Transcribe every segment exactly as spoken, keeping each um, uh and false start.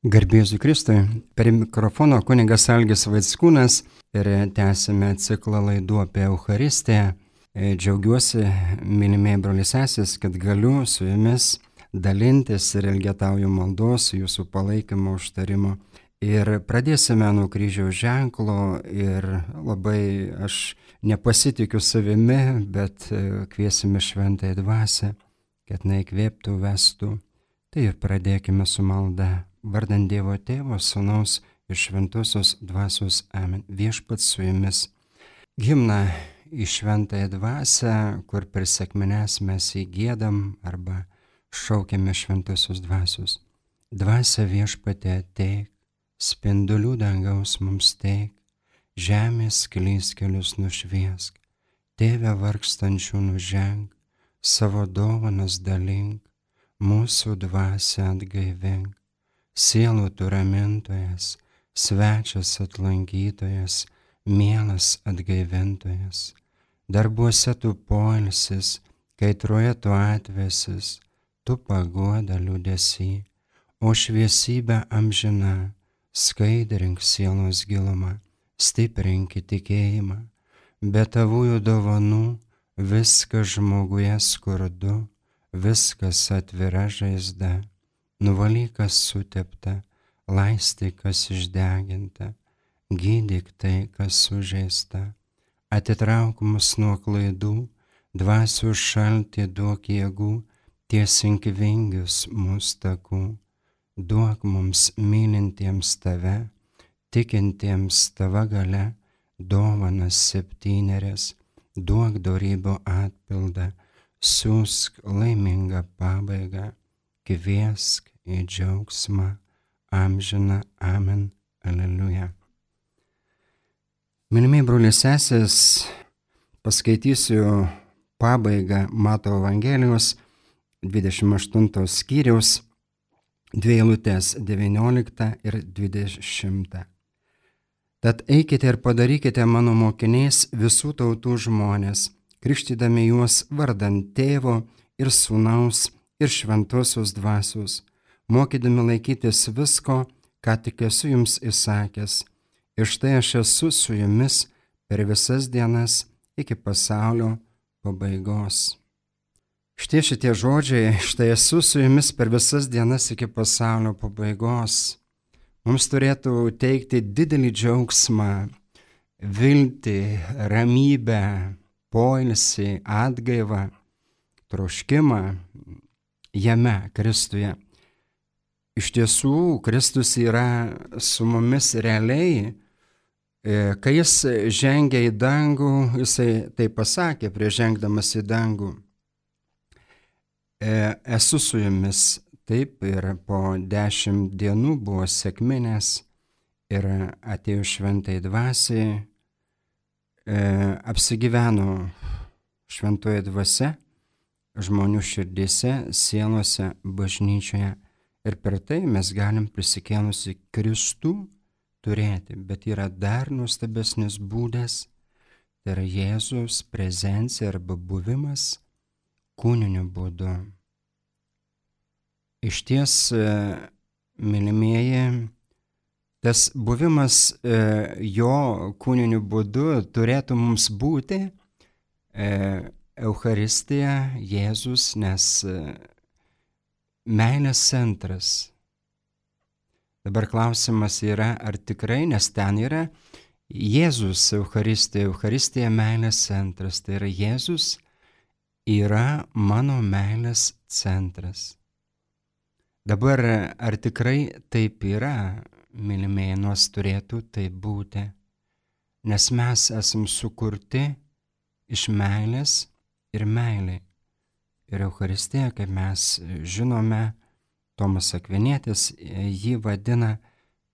Garbėsiu Kristui, per mikrofono kunigas Algis Vaickūnas ir tęsime ciklą laidų apie Eucharistiją. Džiaugiuosi, mylimieji broliai seserys, kad galiu su jumis dalintis ir elgetauju maldos, jūsų palaikymo, užtarimo. Ir pradėsime nuo kryžiaus ženklo ir labai aš nepasitikiu savimi, bet kviesime šventąją dvasią, kad jinai įkvėptų, vestų. Tai ir pradėkime su malda. Vardant Dievo Tėvo, Sūnaus ir Šventosios Dvasios. Amen. Viešpats su jumis. Himną į šventąją dvasią, kur per sekmines mes įgiedam arba šaukiame Šventosios Dvasios. Dvasia Viešpatie ateik, spindulių dangaus mums teik, žemės klystkelius nušviesk, Tėve vargstančių nuženk, savo dovanas dalink, mūsų dvasią atgaivink. Sielų tu ramintojas, svečias atlankytojas, mielas atgaivintojas. Darbuose tu poilsis, kaitroje tu atvesis, tu paguoda liūdesy, o šviesybė amžina, skaidrink sielos gilumą, stiprink tikėjimą. Be tavųjų dovanų viskas žmoguje skurdu, viskas atvira žaizda. Nuvalyk, kas sutepta, laistyk, kas išdeginta, gydyk tai, kas sužeista. Atitrauk mus nuo klaidų, dvasių šaltį duok jėgų, tiesink vingius mūsų takų. Duok mums mylintiems tave, tikintiems tava galia, dovanas septynerias, duok dorybių atpildą, siųsk laimingą pabaigą. Kviesk į džiaugsmą amžiną. Amen. Aleliuja. Mylimieji broliai seserys, paskaitysiu pabaigą Mato Evangelijos dvidešimt aštuntos skyriaus, dvi eilutės devynioliktą ir dvidešimtą. Tad eikite ir padarykite mano mokiniais visų tautų žmonės, krikštydami juos vardant Tėvo ir Sūnaus ir Šventosios Dvasios, mokydami laikytis visko, ką tik esu jums įsakęs. Ir štai aš esu su jumis per visas dienas iki pasaulio pabaigos. Štai šitie žodžiai, štai esu su jumis per visas dienas iki pasaulio pabaigos, mums turėtų teikti didelį džiaugsmą, viltį, ramybę, poilsį, atgaivą, troškimą jame, Kristuje. Iš tiesų, Kristus yra su mumis realiai. Kai jis žengia į dangų, jisai tai pasakė prieš žengdamas į dangų. Esu su jumis. Taip, ir po dešimt dienų buvo sekminės ir atėjo šventai dvasiai, apsigyveno šventoje dvasia žmonių širdėse, sielose, bažnyčioje. Ir per tai mes galim prisikėlusi Kristų turėti. Bet yra dar nuostabesnis būdas, tai yra Jėzaus prezencija arba buvimas kūniniu būdu. Iš ties, mylimieji, tas buvimas jo kūniniu būdu turėtų mums būti Eucharistija, Jėzus, nes meilės centras. Dabar klausimas yra, ar tikrai, nes ten yra Jėzus Eucharistija, Eucharistija meilės centras. Tai yra Jėzus yra mano meilės centras. Dabar, ar tikrai taip yra, mylimieji, nors turėtų taip būti, nes mes esam sukurti iš meilės ir meilė. Ir Eucharistija, kaip mes žinome, Tomas Akvinietis jį vadina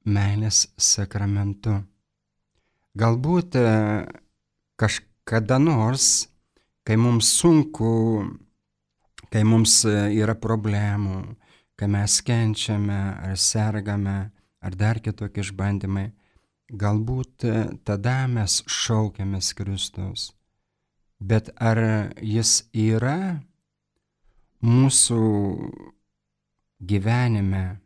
meilės sakramentu. Galbūt kažkada nors, kai mums sunku, kai mums yra problemų, kai mes kenčiame ar sergame, ar dar kitokie išbandymai, galbūt tada mes šaukiamės Kristaus. Bet ar jis yra mūsų gyvenime,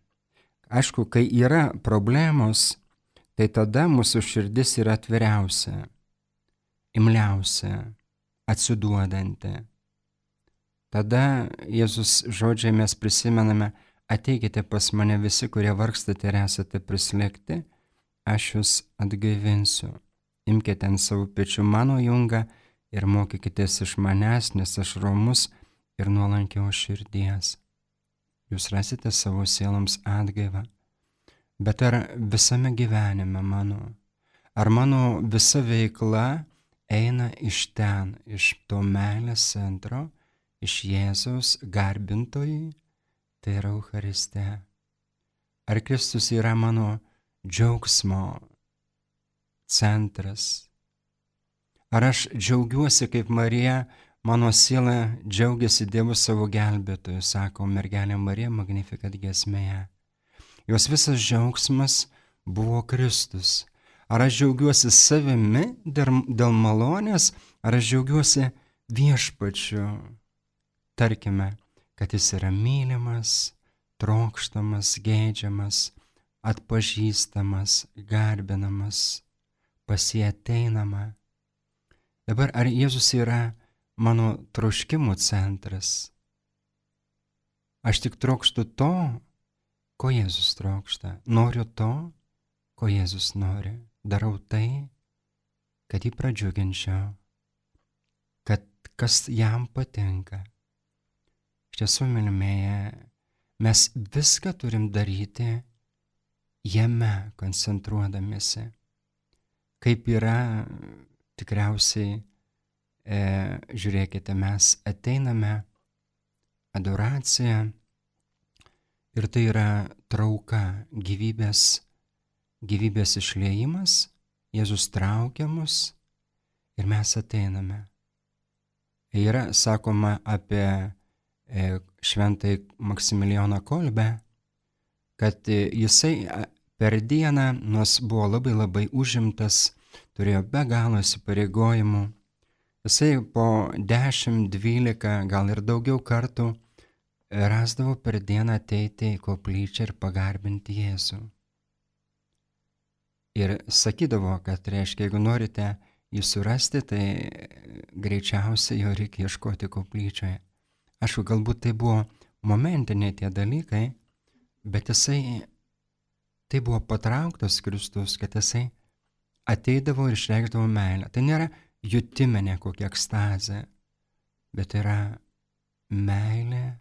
Aišku, kai yra problemos, tai tada mūsų širdis yra atviriausia, imliausia, atsiduodanti. Tada Jėzus žodžiai mes prisimename: ateikite pas mane visi, kurie vargstate ir esate prislėgti, aš jūs atgaivinsiu. Imkite ant savo pečių mano jungą ir mokykitės iš manęs, nes aš romus ir nuolankios širdies. Jūs rasite savo sieloms atgaivą. Bet ar visame gyvenime mano, ar mano visa veikla eina iš ten, iš to meilės centro, iš Jėzaus garbintojui, tai yra Eucharistija? Ar Kristus yra mano džiaugsmo centras? Ar aš džiaugiuosi kaip Marija, mano siela džiaugiasi Dievu savo gelbėtoju, sako mergelė Marija Magnificat giesmėje. Jos visas džiaugsmas buvo Kristus. Ar aš džiaugiuosi savimi dėl malonės, ar aš džiaugiuosi viešpačiu? Tarkime, kad jis yra mylimas, trokštamas, geidžiamas, atpažįstamas, garbinamas, pas jį ateinama. Dabar ar Jėzus yra mano troškimų centras? Aš tik trokštu to, ko Jėzus trokšta. Noriu to, ko Jėzus nori. Darau tai, kad jį pradžiuginčiau, kad kas jam patinka. Iš tiesų, mylimieji, mes viską turim daryti jame koncentruodamiesi. Kaip yra, tikriausiai, e, žiūrėkite, mes ateiname adoraciją ir tai yra trauka, gyvybės, gyvybės išliejimas, Jėzus traukia mus ir mes ateiname. Yra sakoma apie šventai Maksimilijoną Kolbę, kad jisai per dieną, nors buvo labai labai užimtas, turėjo be galo įsipareigojimų, jisai po dešimt, dvylika, gal ir daugiau kartų rasdavo per dieną ateiti į koplyčią ir pagarbinti Jėzų. Ir sakydavo, kad reiškia, jeigu norite jį surasti, tai greičiausiai jo reikia ieškoti koplyčioje. Aišku, galbūt tai buvo momentiniai tie dalykai, bet jisai, tai buvo patrauktas Kristus, kad jisai ateidavo ir išreikšdavo meilę. Tai nėra jutiminė kokia ekstazė, bet yra meilė,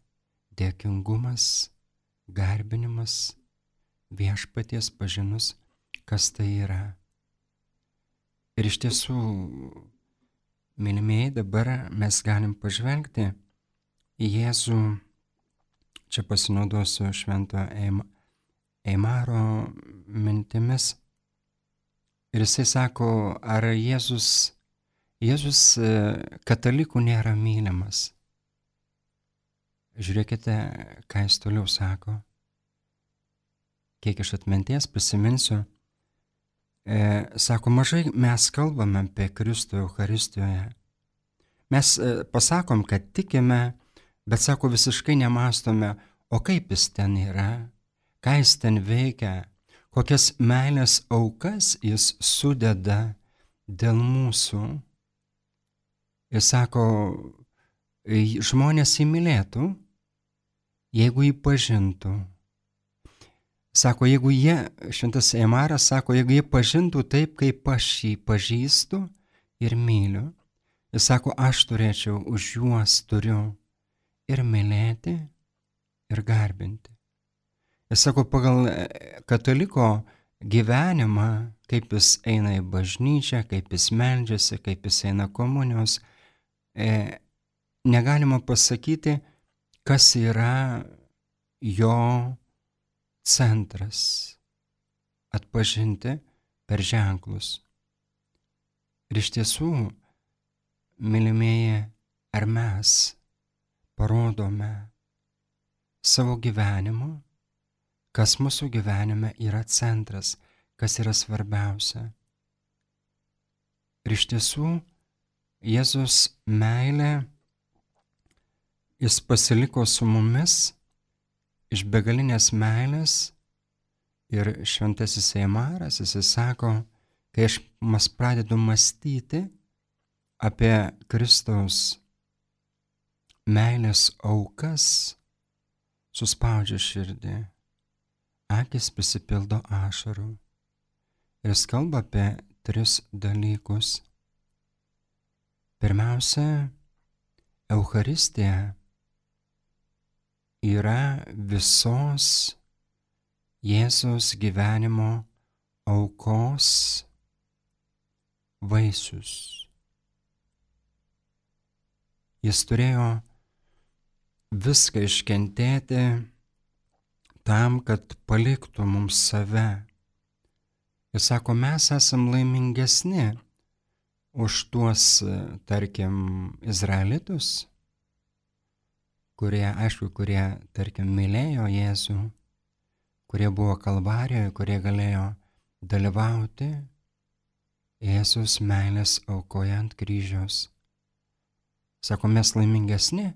dėkingumas, garbinimas, viešpaties pažinus, kas tai yra. Ir iš tiesų, mylimieji, dabar mes galim pažvelgti į Jėzų, čia pasinaudosiu švento Eimaro mintimis. Ir jisai sako, ar Jėzus, Jėzus katalikų nėra mylimas. Žiūrėkite, ką jis toliau sako. Kiek iš atminties prisiminsiu, e, sako, mažai mes kalbame apie Kristų Eucharistijoje. Mes e, pasakom, kad tikime, bet, sako, visiškai nemastome, o kaip jis ten yra, ką jis ten veikia, kokias meilės aukas jis sudeda dėl mūsų. Ir sako, žmonės jį mylėtų, jeigu jį pažintų. Sako, jeigu jie, šventas Eimaras sako, jeigu jie pažintų taip, kaip aš jį pažįstu ir myliu. Jis sako, aš turėčiau už juos turiu ir mylėti, ir garbinti. Jis sako, pagal kataliko gyvenimą, kaip jis eina į bažnyčią, kaip jis meldžiasi, kaip jis eina komunijos, e, negalima pasakyti, kas yra jo centras, atpažinti per ženklus. Ir iš tiesų, mylimieji, ar mes parodome savo gyvenimu, kas mūsų gyvenime yra centras, kas yra svarbiausia. Ir iš tiesų, Jėzus meilė, jis pasiliko su mumis iš begalinės meilės, Ir šventasis Eimaras, jis sako, kai aš mas pradedu mąstyti apie Kristaus meilės aukas, suspaudžia širdį, akis prisipildo ašarų. Ir jis kalba apie tris dalykus. Pirmiausia, Eucharistija yra visos Jėzaus gyvenimo aukos vaisius. Jis turėjo viską iškentėti tam, kad paliktų mums save. Ir sako, mes esam laimingesni už tuos, tarkim, izraelitus, kurie, aišku, kurie, tarkim, mylėjo Jėzų, kurie buvo Kalvarijoje, kurie galėjo dalyvauti Jėzus meilės aukoje ant kryžiaus. Sako, mes laimingesni,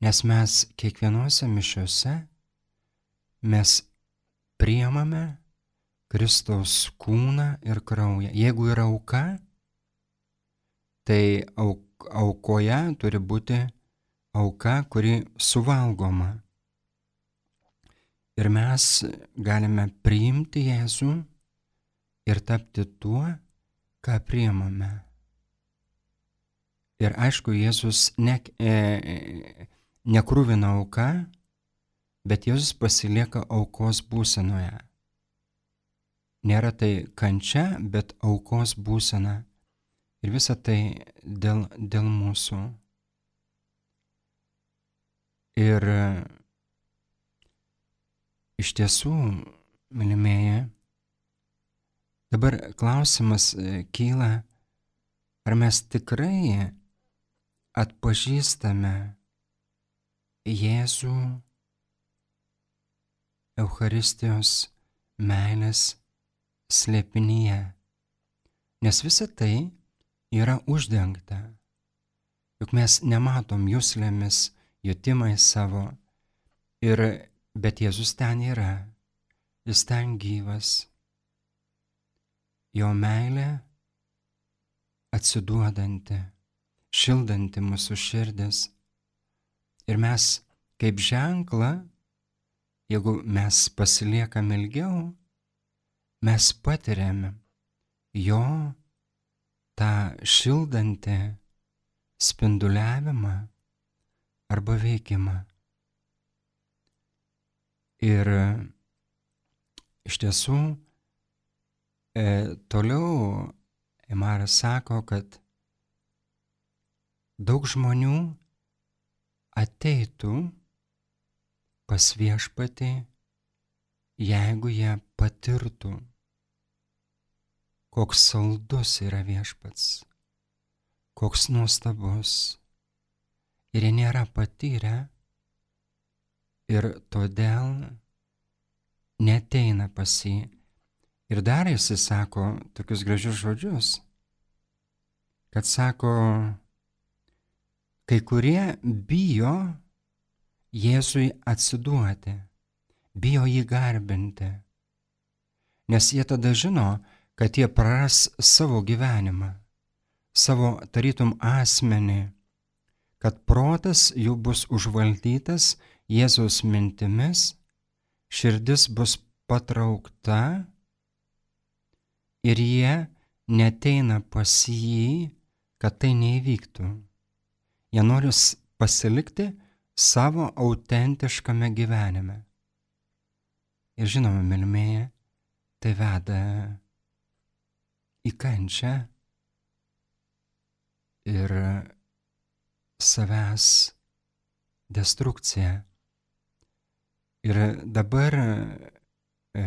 nes mes kiekvienose mišiose mes priimame Kristaus kūną ir kraują. Jeigu yra auka, tai auk, aukoje turi būti auka, kuri suvalgoma. Ir mes galime priimti Jėzų ir tapti tuo, ką priimame. Ir aišku, Jėzus ne, e, nekruvina auka, bet Jėzus pasilieka aukos būsenoje. Nėra tai kančia, bet aukos būsena. Ir visa tai dėl, dėl mūsų. Ir iš tiesų, mylimieji, dabar klausimas kyla, ar mes tikrai atpažįstame Jėzų Eucharistijos meilės slėpinyje, nes visa tai yra uždengta. Juk mes nematom juslėmis, jutimais savo, ir, bet Jėzus ten yra, jis ten gyvas. Jo meilė atsiduodanti, šildanti mūsų širdis. Ir mes kaip ženklą, jeigu mes pasiliekam ilgiau, mes patiriame jo tą šildantį spinduliavimą arba veikimą. Ir iš tiesų e, toliau Eimaras sako, kad daug žmonių ateitų pas viešpatį, jeigu jie patirtų, koks saldus yra viešpats, koks nuostabus. Ir jie nėra patyrę ir todėl neateina pas jį. Ir dar jis sako tokius gražius žodžius, kad sako, kai kurie bijo Jėzui atsiduoti, bijo jį garbinti, nes jie tada žino, kad jie praras savo gyvenimą, savo tarytum asmenį, kad protas jų bus užvaldytas Jėzaus mintimis, širdis bus patraukta ir jie neateina pas jį, kad tai neįvyktų. Jie nori pasilikti savo autentiškame gyvenime. Ir žinoma, mylimieji, tai veda į kančią ir savęs destrukciją. Ir dabar e,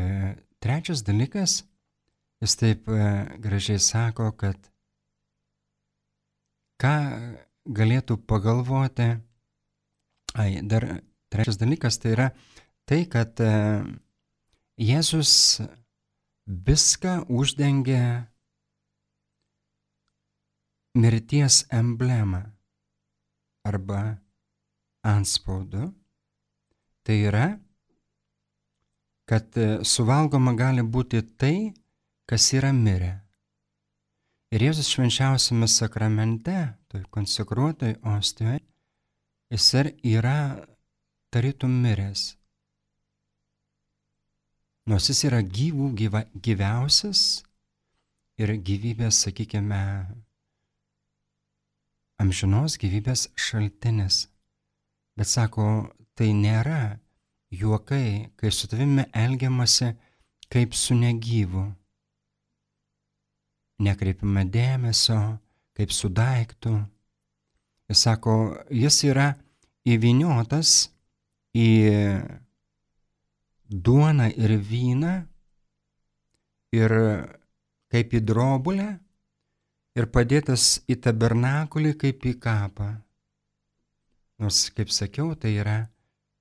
trečias dalykas, jis taip e, gražiai sako, kad ką galėtų pagalvoti, ai, dar trečias dalykas tai yra tai, kad e, Jėzus viską uždengia mirties emblemą arba antspaudu. Tai yra, kad suvalgoma gali būti tai, kas yra mirę. Ir Jėzus švenčiausiame sakramente, toj konsekruotoj ostijoje, jis yra tarytum miręs. Nors jis yra gyvų gyva, gyviausias ir gyvybės, sakykime, amžinos gyvybės šaltinis. Bet sako, tai nėra juokai, kai su tavimi elgiamasi kaip su negyvu. Nekreipiame dėmesio, kaip su daiktu. Jis sako, jis yra įvyniotas į duoną ir vyną ir kaip į drobulę ir padėtas į tabernakulį kaip į kapą. Nors, kaip sakiau, tai yra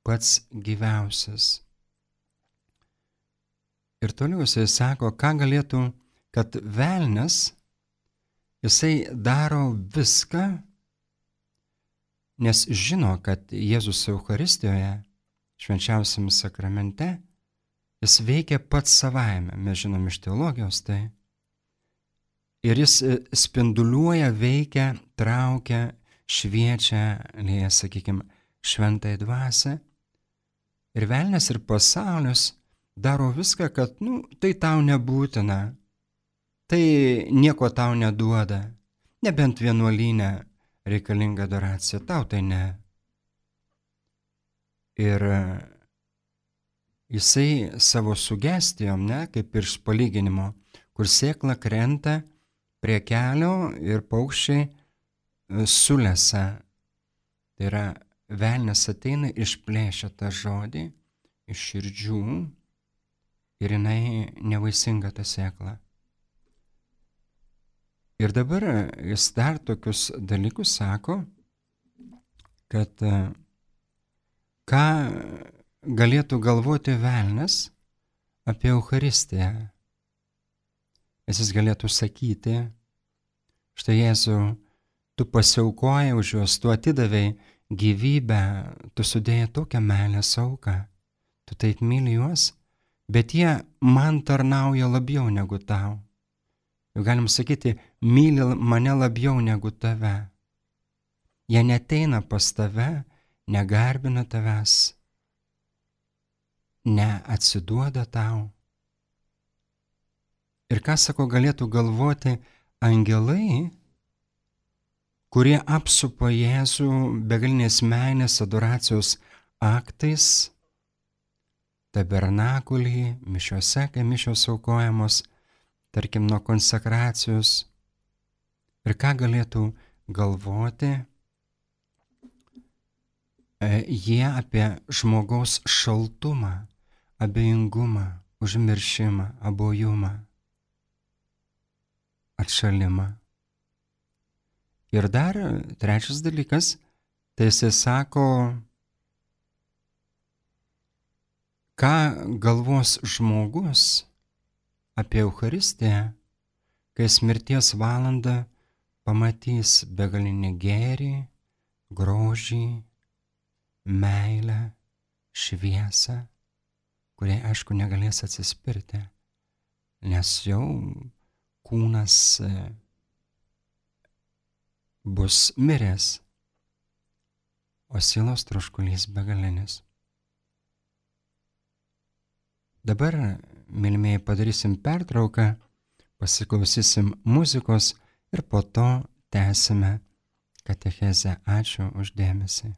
pats gyviausias. Ir toliau jisai sako, ką galėtų, kad velnias, jisai daro viską, nes žino, kad Jėzus Eucharistijoje, švenčiausiame sakramente, jis veikia pats savaime, mes žinom iš teologijos tai. Ir jis spinduliuoja, veikia, traukia, šviečia, lieja, sakykime, šventąją dvasią. Ir velnias ir pasaulis daro viską, kad, nu, tai tau nebūtina, tai nieko tau neduoda, nebent vienuolyne reikalinga adoracija, tau tai ne. Ir jisai savo sugestijom, ne, kaip ir iš palyginimo, kur sėkla krenta prie kelio ir paukščiai sulesa. Tai yra, velnias ateina, išplėšia tą žodį iš širdžių ir jinai nevaisinga ta sėkla. Ir dabar jis dar tokius dalykus sako, kad ką galėtų galvoti velnias apie Eucharistiją. Jis galėtų sakyti, štai Jėzau, tu pasiaukojai už juos, tu atidavei gyvybę, tu sudėjai tokią meilės auką, tu taip myli juos, bet jie man tarnauja labiau negu tau. Jau galim sakyti, myli mane labiau negu tave. Jie neteina pas tave, negarbina tavęs, neatsiduoda tau. Ir ką, sako, galėtų galvoti angelai, kurie apsupa Jėzų begalinės meilės adoracijos aktais, tabernakulį, mišiose, kai mišios aukojamos, tarkim, nuo konsekracijos. Ir ką galėtų galvoti e, jie apie žmogaus šaltumą, abejingumą, užmiršimą, abojumą, atšalimą. Ir dar trečias dalykas, tai jisai sako, ką galvos žmogus apie Eucharistiją, kai jis mirties valandą pamatys begalinį gėrį, grožį, meilę, šviesą, kuriai, aišku, negalės atsispirti, nes jau kūnas bus miręs, o sielos troškulys begalinis. Dabar, mylimieji, padarysim pertrauką, pasiklausysim muzikos ir po to tęsime katechezę. Ačiū už dėmesį.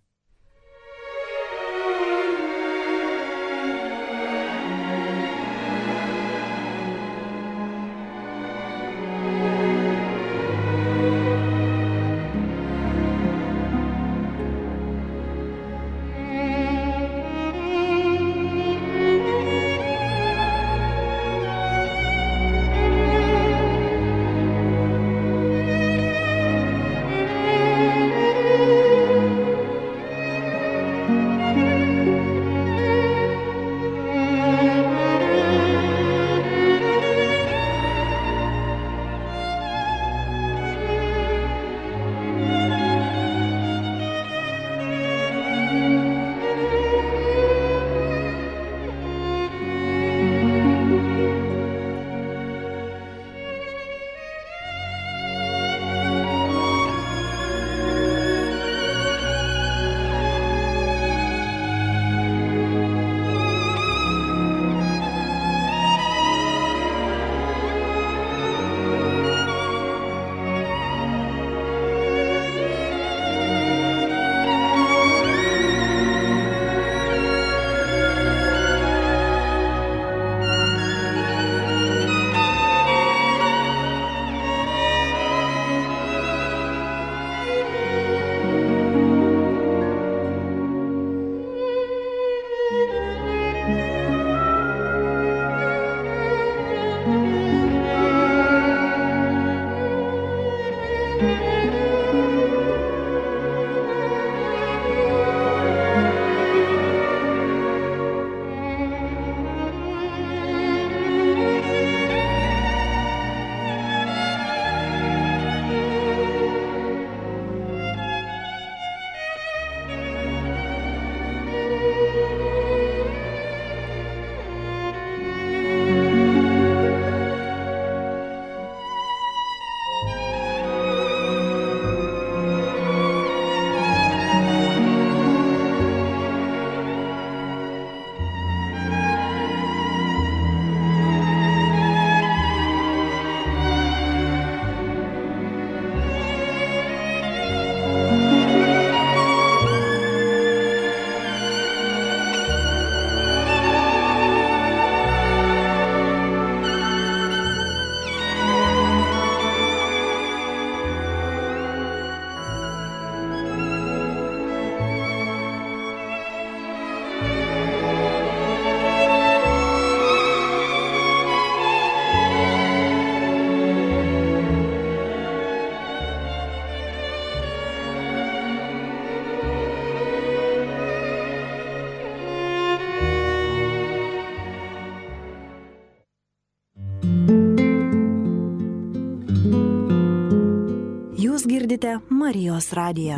girdite Marijos radiją.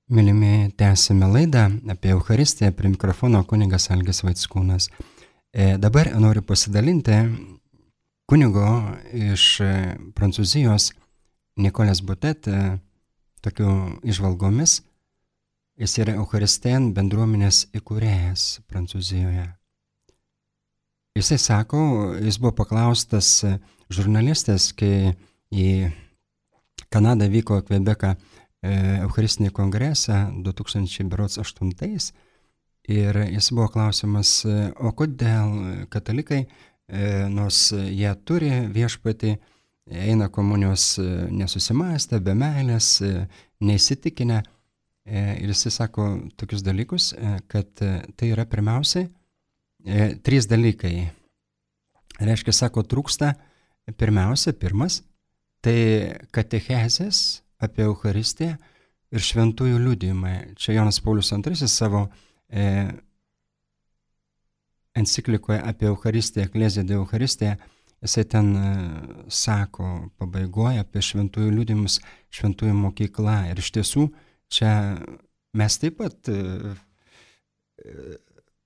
Mylimi, tęsime laidą apie Eucharistiją, prie mikrofono kunigas Algis Vaickūnas. E, dabar noriu pasidalinti kunigo iš Prancūzijos Nicolas Botet tokių išvalgomis. Jis yra Eucharistijan bendruomenės įkūrėjas Prancūzijoje. Jisai sako, jis buvo paklaustas žurnalistės, kai į Kanadą vyko Kvebeką Eucharistinį kongresą du tūkstančiai aštuntais ir jis buvo klausimas, o kodėl katalikai, nors jie turi viešpatį, eina komunijos nesusimąstę, be meilės, neįsitikinę. Ir jis sako tokius dalykus, kad tai yra pirmiausiai trys dalykai. Reiškia, sako, trūksta pirmiausia, pirmas, tai katechezės apie Eucharistiją ir šventųjų liudijimai. Čia Jonas Paulius antrasis savo e, enciklikoje apie Eucharistiją, Ecclesia de Eucharistiją, jisai ten e, sako pabaigoje apie šventųjų liudijimus, šventųjų mokykla. Ir iš tiesų, čia mes taip pat e,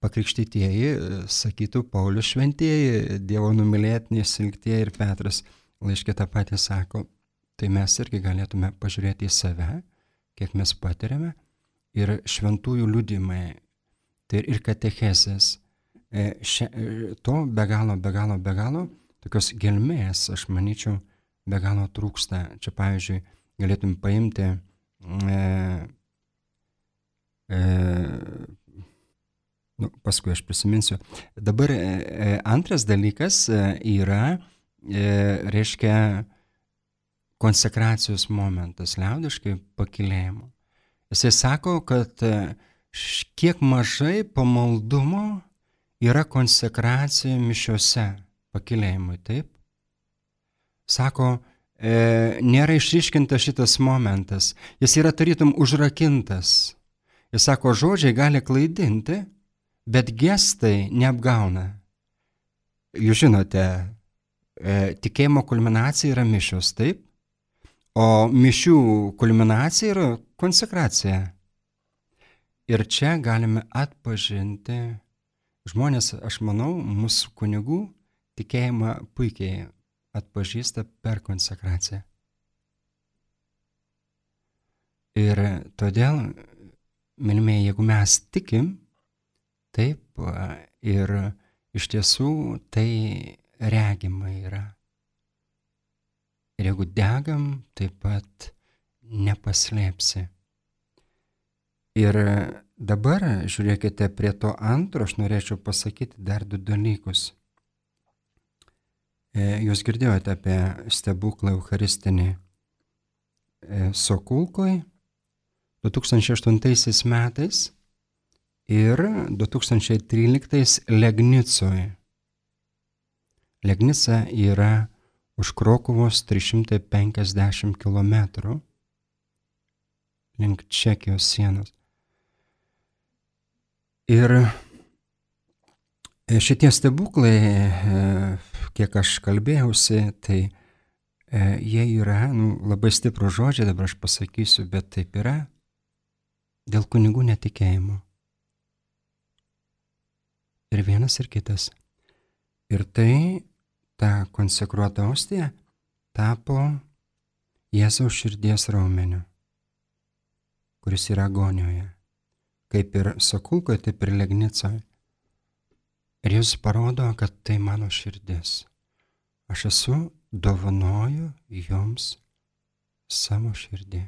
pakrikštytieji, sakytų Paulius šventieji, Dievo numylėtiniai, silktieji ir Petras laiške tą patį sako. Tai mes irgi galėtume pažiūrėti į save, kiek mes patiriame, ir šventųjų liudijimai, tai ir katechezės. E, še, to be galo, be galo, be galo, tokios gelmės, aš manyčiau, be galo trūksta. Čia, pavyzdžiui, galėtum paimti e, e, nu, paskui aš prisiminsiu. Dabar e, antras dalykas yra, e, reiškia, konsekracijos momentas, liaudiškai pakilėjimo. Jisai sako, kad kiek mažai pamaldumo yra konsekracija mišiose pakilėjimui, taip? Sako, e, nėra išryškintas šitas momentas, jis yra tarytum užrakintas. Jis sako, žodžiai gali klaidinti, bet gestai neapgauna. Jūs žinote, e, tikėjimo kulminacija yra mišios, taip? O mišių kulminacija yra konsekracija. Ir čia galime atpažinti žmonės, aš manau, mūsų kunigų tikėjimą puikiai atpažįsta per konsekraciją. Ir todėl, mylimieji, jeigu mes tikim, taip, ir iš tiesų tai regima yra. Ir jeigu degam, taip pat nepaslėpsi. Ir dabar, žiūrėkite, prie to antro aš norėčiau pasakyti dar du dalykus. Jūs girdėjote apie stebuklą Eucharistinį Sokulkoj du tūkstančiai aštuntaisiais metais ir du tūkstančiai tryliktais Legnicoj. Legnica yra už Krokuvos trys šimtai penkiasdešimt kilometrų link Čekijos sienos. Ir šitie stebuklai, kiek aš kalbėjausi, tai jie yra, nu, labai stiprų žodžiai, dabar aš pasakysiu, bet taip yra dėl kunigų netikėjimo. Ir vienas ir kitas. Ir tai ta konsekruota ostija tapo Jėzaus širdies raumeniu, kuris yra agonijoje, kaip ir Sokulkoje, taip ir Legnicoje. Ir Jėzus parodo, kad tai mano širdis. Aš esu, dovanoju joms savo širdį.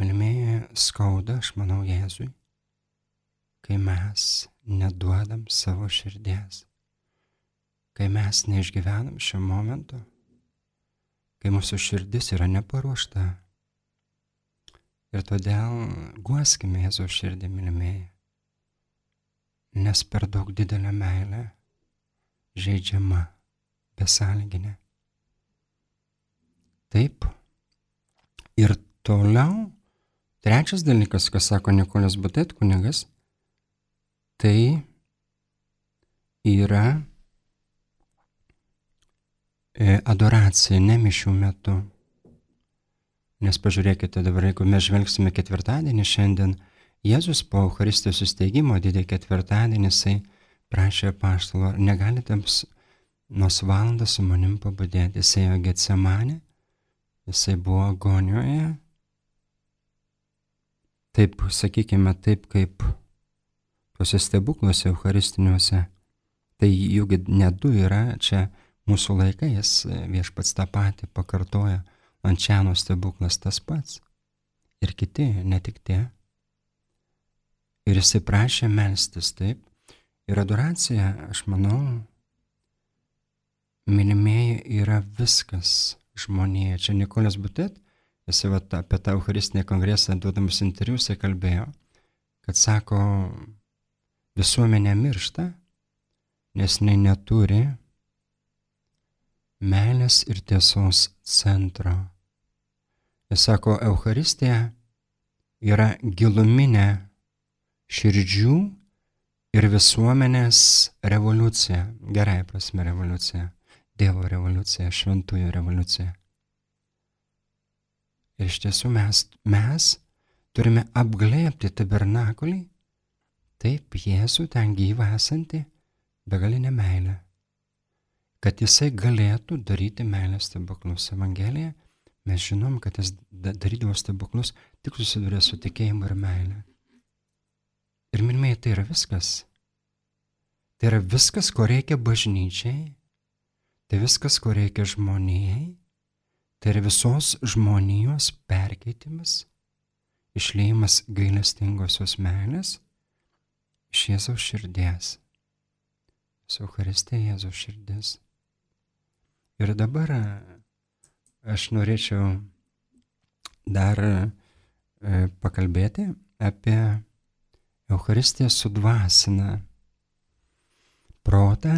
Mylimieji, skauda, aš manau, Jėzui, kai mes neduodam savo širdies. Kai mes neišgyvenam šio momento, kai mūsų širdis yra neparuošta. Ir todėl guoskime Jėzaus širdį, mylimieji, nes per daug didelė meilė žeidžiama, besąlyginė. Taip, ir toliau Trečias dalykas, ką sako Nikolas Butet kunigas, tai yra adoracija ne mišių metu. Nes pažiūrėkite dabar, jeigu mes žvelgsime ketvirtadienį šiandien, Jėzus po Eucharistijos įsteigimo didįjį ketvirtadienį jisai prašė apaštalo, ar negalite nors valandą su manim pabudėti. Jisai ėjo Getsemanę, jisai buvo agonijoje. Taip, sakykime, taip kaip tuose stebukluose eucharistiniuose. Tai juk ne du yra, čia mūsų laikais Viešpats tą patį pakartoja. Lančiano stebuklas tas pats. Ir kiti, ne tik tie. Ir jisai prašė melstis, taip. Ir adoracija, aš manau, mylimieji, yra viskas žmonėje. Čia Nikolas Butet, jisai vat, apie tą Eucharistinį kongresą duodamas interviu, jisai kalbėjo, kad sako, visuomenė miršta, nes jinai neturi meilės ir tiesos centro. Jis sako, Eucharistija yra giluminė širdžių ir visuomenės revoliucija, gerai prasme revoliucija, Dievo revoliucija, šventųjų revoliucija. Ir iš tiesų mes, mes turime apglėbti tabernakulį, taip Jėzų ten gyvą esantį begalinę meilę, kad jisai galėtų daryti meilės stebuklus. Evangelija mes žinom, kad jis darydavo stebuklus tik susidūrė su tikėjimu ir meilė. Ir mylimieji, tai yra viskas. Tai yra viskas, ko reikia bažnyčiai, tai viskas, ko reikia žmonijai, tai yra visos žmonijos perkeitimas, išliejimas gailestingosios meilės iš Jėzaus širdies. Su Eucharistija Jėzaus širdis. Ir dabar aš norėčiau dar e, pakalbėti apie Eucharistija sudvasina protą,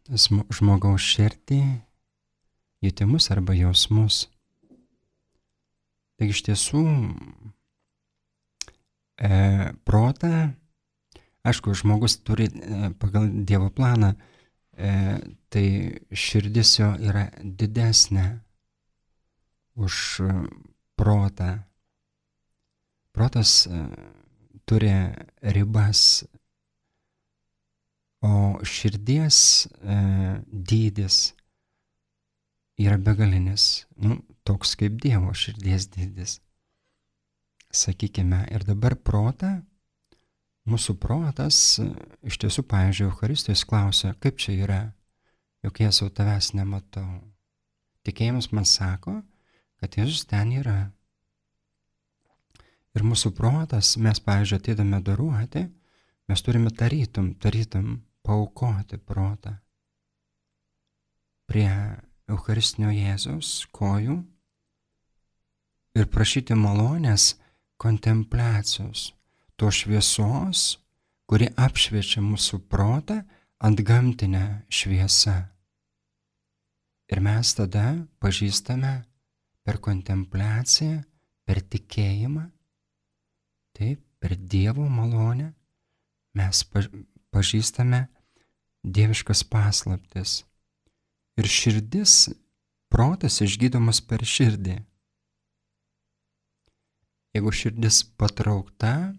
žmogaus širdį, jutimus arba jausmus. Taigi iš tiesų e, protą, aišku, žmogus turi e, pagal Dievo planą, e, tai širdis jo yra didesnė už protą. Protas e, turi ribas, o širdies e, dydis yra begalinis, nu, toks kaip Dievo širdies dydis. Sakykime, ir dabar protą, mūsų protas, iš tiesų, pavyzdžiui, Eucharistijos klausia, kaip čia yra, juk Jėzau tavęs nematau. Tikėjimas man sako, kad Jėzus ten yra. Ir mūsų protas, mes, pavyzdžiui, ateidami adoruoti, mes turime tarytum, tarytum paaukoti protą prie Eucharistinio Jėzaus kojų ir prašyti malonės kontempliacijos, to šviesos, kuri apšviečia mūsų protą antgamtinę šviesą. Ir mes tada pažįstame per kontempliaciją, per tikėjimą, taip, per Dievo malonę mes pažįstame dieviškas paslaptis. Ir širdis, protas išgydomas per širdį. Jeigu širdis patraukta,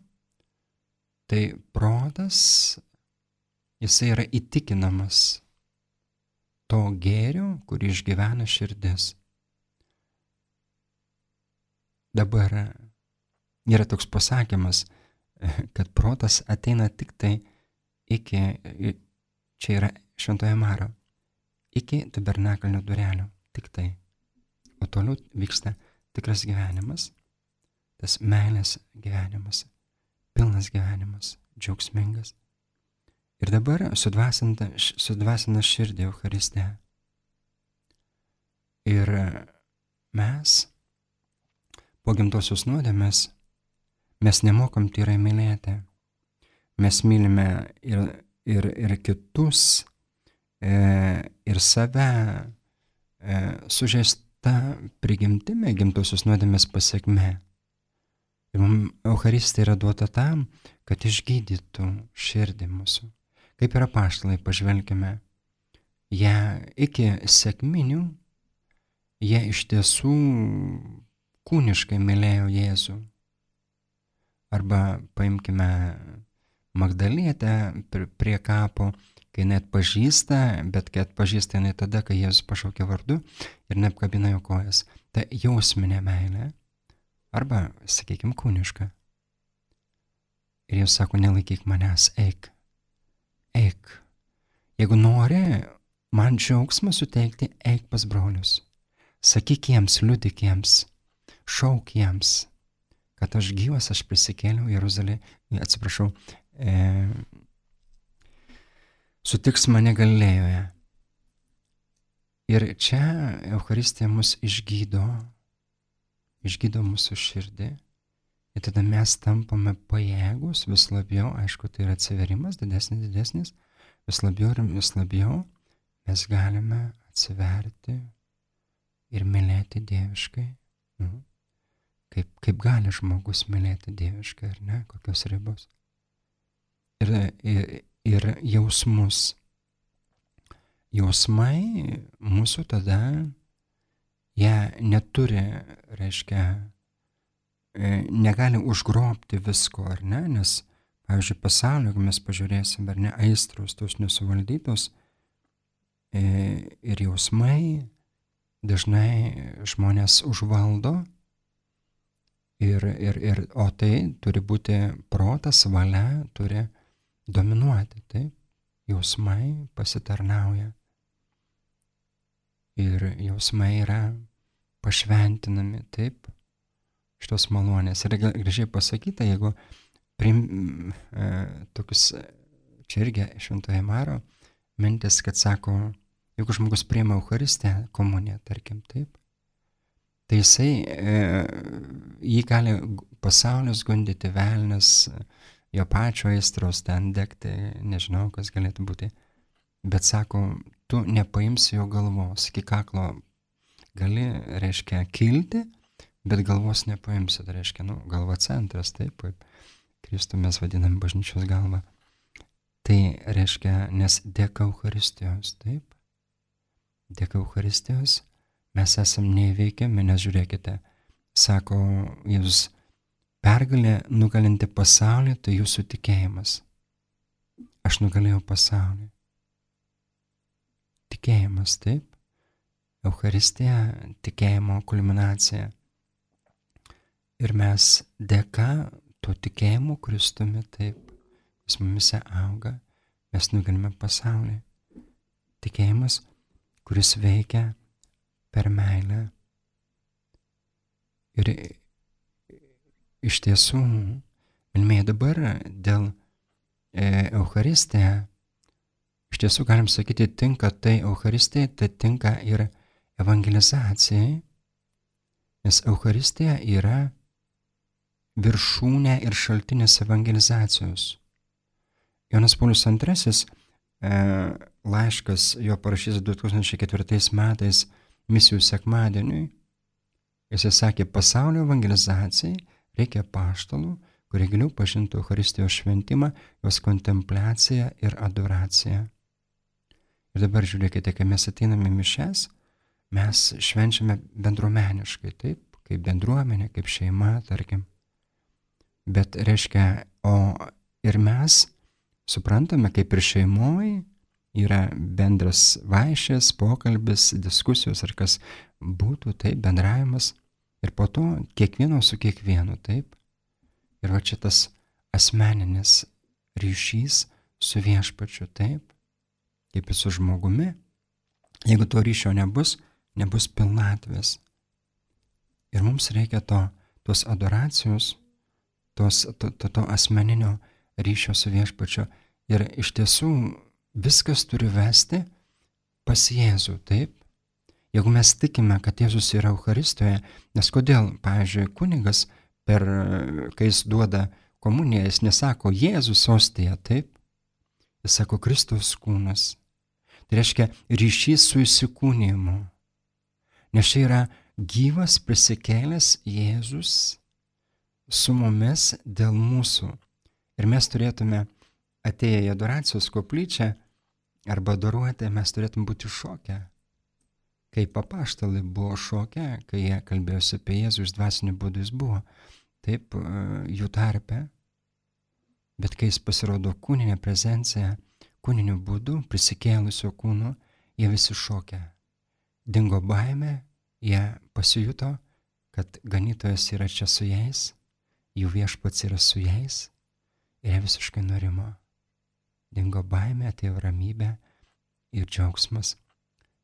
tai protas, jisai yra įtikinamas to gėrio, kurį išgyvena širdis. Dabar yra toks pasakymas, kad protas ateina tik tai iki, čia yra Šventojo Maro, iki tabernakalnio durelių, tik tai. O toliau vyksta tikras gyvenimas, tas meilės gyvenimas, pilnas gyvenimas, džiaugsmingas. Ir dabar sudvasina, sudvasina širdį Eucharistija. Ir mes, po gimtosios nuodėmės, mes nemokam tyrai mylėti. Mes mylime ir, ir, ir kitus, e, ir save e, sužeista prigimtimi, gimtosios nuodėmės pasiekme. Ir mums Eucharistija yra duota tam, kad išgydytų širdį mūsų. Kaip yra apaštalai, pažvelkime, jie iki sekminių, jie iš tiesų kūniškai mylėjo Jėzų. Arba paimkime Magdalietę prie kapo, kai jinai atpažįsta, bet kai atpažįsta jinai tada, kai Jėzus pašaukė vardu ir neapkabina jo kojas. Tai jausminė meilė. Arba, sakykime, kūniška. Ir Jėzus sako, nelaikyk manęs, eik, eik. Jeigu nori man džiaugsmą suteikti, eik pas brolius. Sakyk jiems, liudyk jiems, šauk jiems, kad aš gyvas, aš prisikėliau Jeruzalė, atsiprašau, e, sutiks mane Galilėjoje. Ir čia Eucharistija mus išgydo, išgydo mūsų širdį, ir tada mes tampame pajėgus vis labiau, aišku, tai yra atsiverimas, didesnis, didesnis, vis labiau ir vis labiau mes galime atsiverti ir mylėti dieviškai. Nu, kaip, kaip gali žmogus mylėti dieviškai, ar ne, kokios ribos. Ir, ir, ir jausmus. Jausmai mūsų tada, jie neturi, reiškia, negali užgrobti visko, ar ne, nes, pavyzdžiui, pasaulio, jeigu mes pažiūrėsim, ar ne, aistros, tos nesuvaldytos ir jausmai dažnai žmonės užvaldo, ir, ir, ir, o tai turi būti protas, valia, turi dominuoti, taip, jausmai pasitarnauja. Ir jausmai yra pašventinami, taip, šitos malonės. Ir gražiai pasakyta, jeigu prim, e, tokius, čia irgi Šventojo Maro mintis, kad sako, jeigu žmogus priima Eucharistiją, komuniją, tarkim, taip, tai jisai, e, jį gali pasaulis gundyti, velnias, jo pačio aistros ten degti, nežinau, kas galėtų būti. Bet sako, tu nepaimsi jo galvos, iki kaklo gali, reiškia, kilti, bet galvos nepaimsi, tai reiškia, nu, galva centras, taip, kaip Kristų mes vadinam bažnyčios galvą. Tai reiškia, nes dėka Eucharistijos, taip, dėka Eucharistijos mes esam neįveikiami, nes žiūrėkite, sako Jėzus, pergalė nugalinti pasaulį, tai jūsų tikėjimas. Aš nugalėjau pasaulį. Tikėjimas, taip. Eucharistija, tikėjimo kulminacija. Ir mes dėka to tikėjimo Kristumi, taip, jis mumise auga, mes nugalime pasaulį. Tikėjimas, kuris veikia per meilę. Ir iš tiesų, mylimieji, dabar dėl e, Eucharistija, iš tiesų galim sakyti, tinka tai Eucharistijai, tai tinka ir evangelizacijai, nes Eucharistija yra viršūnė ir šaltinis evangelizacijos. Jonas Paulius antrasis e, laiškas, jo parašytas du tūkstančiai ketvirtais metais misijų sekmadieniui, jisai sakė, pasaulio evangelizacijai reikia apaštalų, kurie giliau pažintų Eucharistijos šventimą, jos kontempliaciją ir adoraciją. Ir dabar žiūrėkite, kai mes ateiname mišes, mes švenčiame bendruomeniškai, taip, kaip bendruomenė, kaip šeima, tarkim. Bet reiškia, o ir mes suprantame, kaip ir šeimoje yra bendras vaišės, pokalbis, diskusijos ar kas būtų, taip, bendravimas. Ir po to kiekvieno su kiekvienu, taip. Ir va čia tas asmeninis ryšys su viešpačiu, taip, kaip ir su žmogumi. Jeigu to ryšio nebus, nebus pilnatvės. Ir mums reikia to, tos adoracijos, tos, to, to, to asmeninio ryšio su viešpačiu. Ir iš tiesų viskas turi vesti pas Jėzų, taip. Jeigu mes tikime, kad Jėzus yra Eucharistijoje, nes kodėl, pavyzdžiui, kunigas, per, kai jis duoda komuniją, jis nesako Jėzus ostija, taip, jis sako Kristaus kūnas. Tai reiškia ryšys su įsikūnijimu. Nes čia yra gyvas prisikėlęs Jėzus su mumis dėl mūsų. Ir mes turėtume, atėję į adoracijos koplyčią arba adoruoti, mes turėtume būti šokę. Kaip apaštalai buvo šokę, kai jie kalbėjosi apie Jėzų, iš dvasinių būdų jis buvo, taip jų tarpe. Bet kai jis pasirodo kūninė prezencija, kūniniu būdu, prisikėlusio kūnu, jie visi šokę. Dingo baimė, jie pasijuto, kad ganytojas yra čia su jais, jų viešpats yra su jais, ir jie visiškai nurimo. Dingo baimė, atėjo ramybė ir džiaugsmas.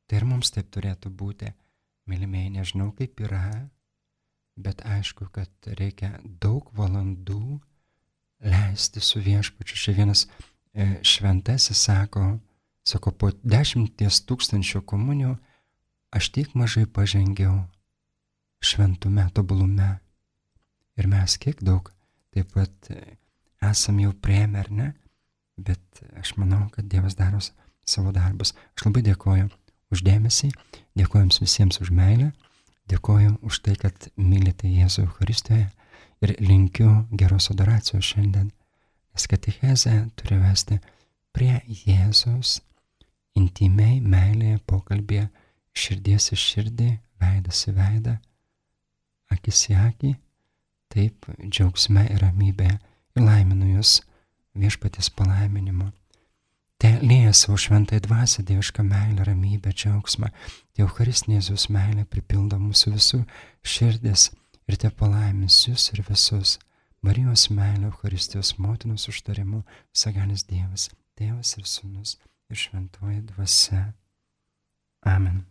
Tai ir mums taip turėtų būti. Mylimieji, nežinau kaip yra, bet aišku, kad reikia daug valandų leisti su viešpačiu. Čia vienas e, šventasis sako, sako, po dešimties tūkstančių komunijų aš tiek mažai pažengiau šventume, tobulume. Ir mes kiek daug taip pat esam jau priėmę, ar ne? Bet aš manau, kad Dievas daro savo darbus. Aš labai dėkoju už dėmesį, dėkoju jums visiems už meilę, dėkoju už tai, kad mylite Jėzų Eucharistijoje ir linkiu geros adoracijos šiandien, nes katechezė turi vesti prie Jėzaus intimiai, meilėje, pokalbėje, širdies į širdį, veidas į veidą, akis į akį, taip džiaugsme ir ramybėje ir laiminu jūs viešpaties palaiminimu. Te lieja savo šventąją dvasią, dievišką meilę, ramybę, džiaugsmą. Te Eucharistinė Jėzaus meilė pripildo mūsų visų širdis ir te palaimins jūs ir visus. Marijos meilė, Eucharistijos motinos užtarimu, visagalis Dievas, Tėvas ir Sūnus ir šventoji dvasia. Amen.